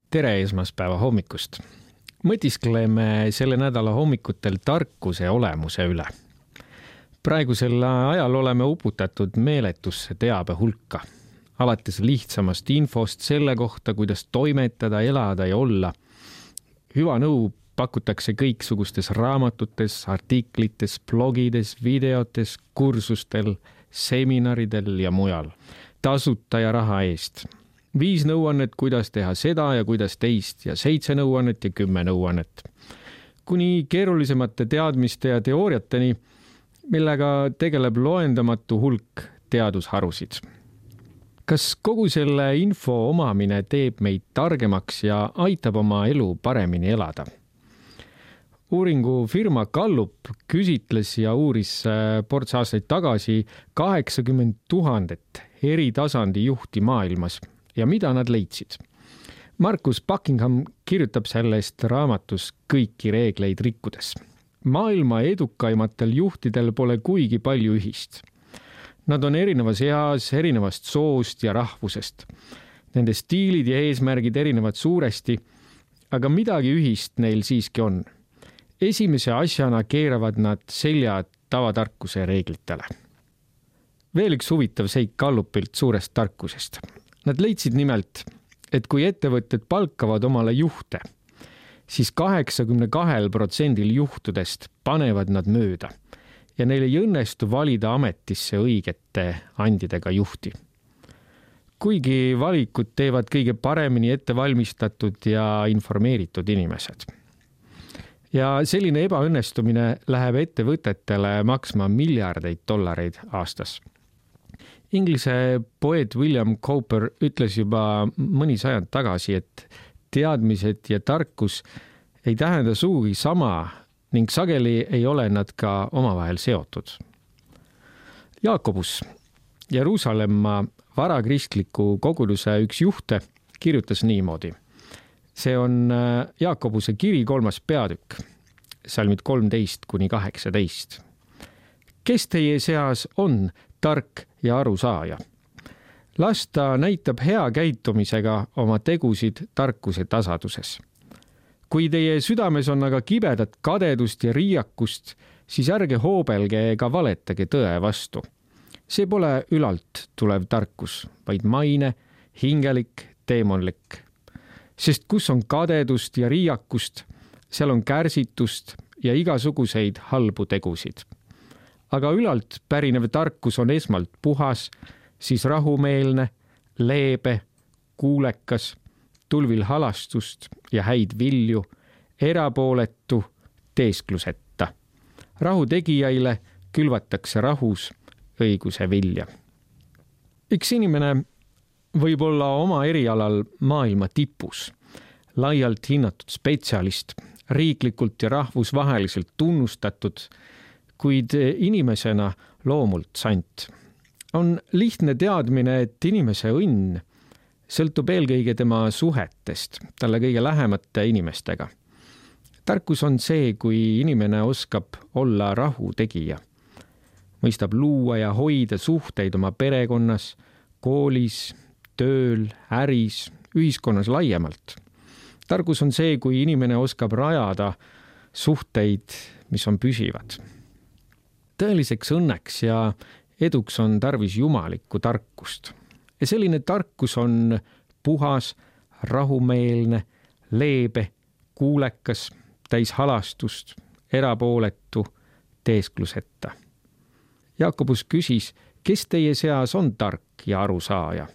Tere esmaspäeva hommikust. Mõtiskleme selle nädala hommikutel tarkuse olemuse üle. Praegusel ajal oleme uputatud meeletusse teabe hulka. Alates lihtsamast infost selle kohta, kuidas toimetada, elada ja olla. Hüva nõu pakutakse kõiksugustes raamatutes, artiklites, blogides, videotes, kursustel, seminaridel ja mujal. Tasuta ja raha eest. 5 nõuannet, kuidas teha seda ja kuidas teist ja 7 nõuannet ja 10 nõuannet. Kuni keerulisemate teadmiste ja teooriateni, millega tegeleb loendamatu hulk teadusharusid. Kas kogu selle info omamine teeb meid targemaks ja aitab oma elu paremini elada? Uuringufirma Gallup küsitles ja uuris ports aastaid tagasi 80 000 eri tasandi juhti maailmas. Ja mida nad leidsid? Marcus Buckingham kirjutab sellest raamatus kõiki reegleid rikkudes. Maailma edukaimatel juhtidel pole kuigi palju ühist. Nad on erinevas eas, erinevast soost ja rahvusest. Nende stiilid ja eesmärgid erinevad suuresti, aga midagi ühist neil siiski on. Esimese asjana keeravad nad selja tavatarkuse reeglitele. Veel üks huvitav seik Gallupilt suurest tarkusest. Nad leidsid nimelt, et kui ettevõtted palkavad omale juhte, siis 82% juhtudest panevad nad mööda ja neil ei õnnestu valida ametisse õigete andidega juhti. Kuigi valikud teevad kõige paremini ettevalmistatud ja informeeritud inimesed. Ja selline ebaõnnestumine läheb ettevõtetele maksma miljardeid dollareid aastas. Inglise poeet William Cowper ütles juba mõni sajand tagasi, et teadmised ja tarkus ei tähenda sugugi sama ning sageli ei ole nad ka omavahel seotud. Jaakobus, Jeruusalemma varakristliku koguduse üks juhte, kirjutas niimoodi. See on Jaakobuse kiri 3. peatükk, salmid 13-18. Kes teie seas on tark ja arusaaja? Las ta näitab hea käitumisega oma tegusid tarkuse tasaduses. Kui teie südames on aga kibedat kadedust ja riiakust, siis ärge hoobelge ega valetage tõe vastu. See pole ülalt tulev tarkus, vaid maine, hingelik, teemonlik. Sest kus on kadedust ja riiakust, seal on kärsitust ja igasuguseid halbu tegusid. Aga ülalt pärinev tarkus on esmalt puhas, siis rahumeelne, leebe, kuulekas, tulvil halastust ja häid vilju, erapooletu, teeskluseta. Rahu tegijaile külvatakse rahus õiguse vilja. Üks inimene võib olla oma erialal maailma tipus, laialt hinnatud spetsialist, riiklikult ja rahvusvaheliselt tunnustatud, kuid inimesena loomult sant. On lihtne teadmine, et inimese õnn sõltub eelkõige tema suhetest, talle kõige lähemate inimestega. Tarkus on see, kui inimene oskab olla rahu tegija. Mõistab luua ja hoida suhteid oma perekonnas, koolis, tööl, äris, ühiskonnas laiemalt. Tarkus on see, kui inimene oskab rajada suhteid, mis on püsivad. Tõeliseks õnneks ja eduks on tarvis jumalikku tarkust. Ja selline tarkus on puhas, rahumeelne, leebe, kuulekas, täis halastust, erapooletu, teeskluseta. Jaakobus küsis, kes teie seas on tark ja arusaaja?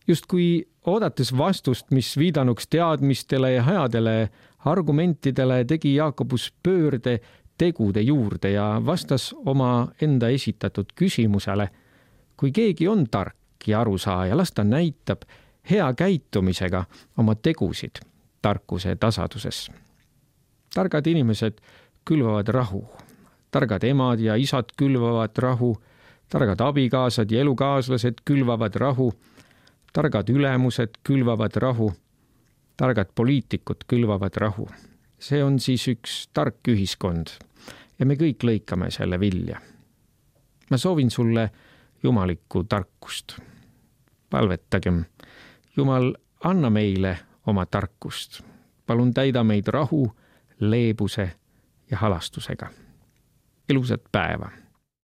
Just kui oodates vastust, mis viidanuks teadmistele ja headele argumentidele, tegi Jaakobus pöörde tegude juurde ja vastas oma enda esitatud küsimusele. Kui keegi on tark ja arusaaja, las ta näitab hea käitumisega oma tegusid tarkuse tasaduses. Targad inimesed külvavad rahu. Targad emad ja isad külvavad rahu. Targad abikaasad ja elukaaslased külvavad rahu. Targad ülemused külvavad rahu. Targad poliitikud külvavad rahu. See on siis üks tark ühiskond ja me kõik lõikame selle vilja. Ma soovin sulle jumalikku tarkust. Palvetagem. Jumal, anna meile oma tarkust. Palun täida meid rahu, leebuse ja halastusega. Ilusat päeva!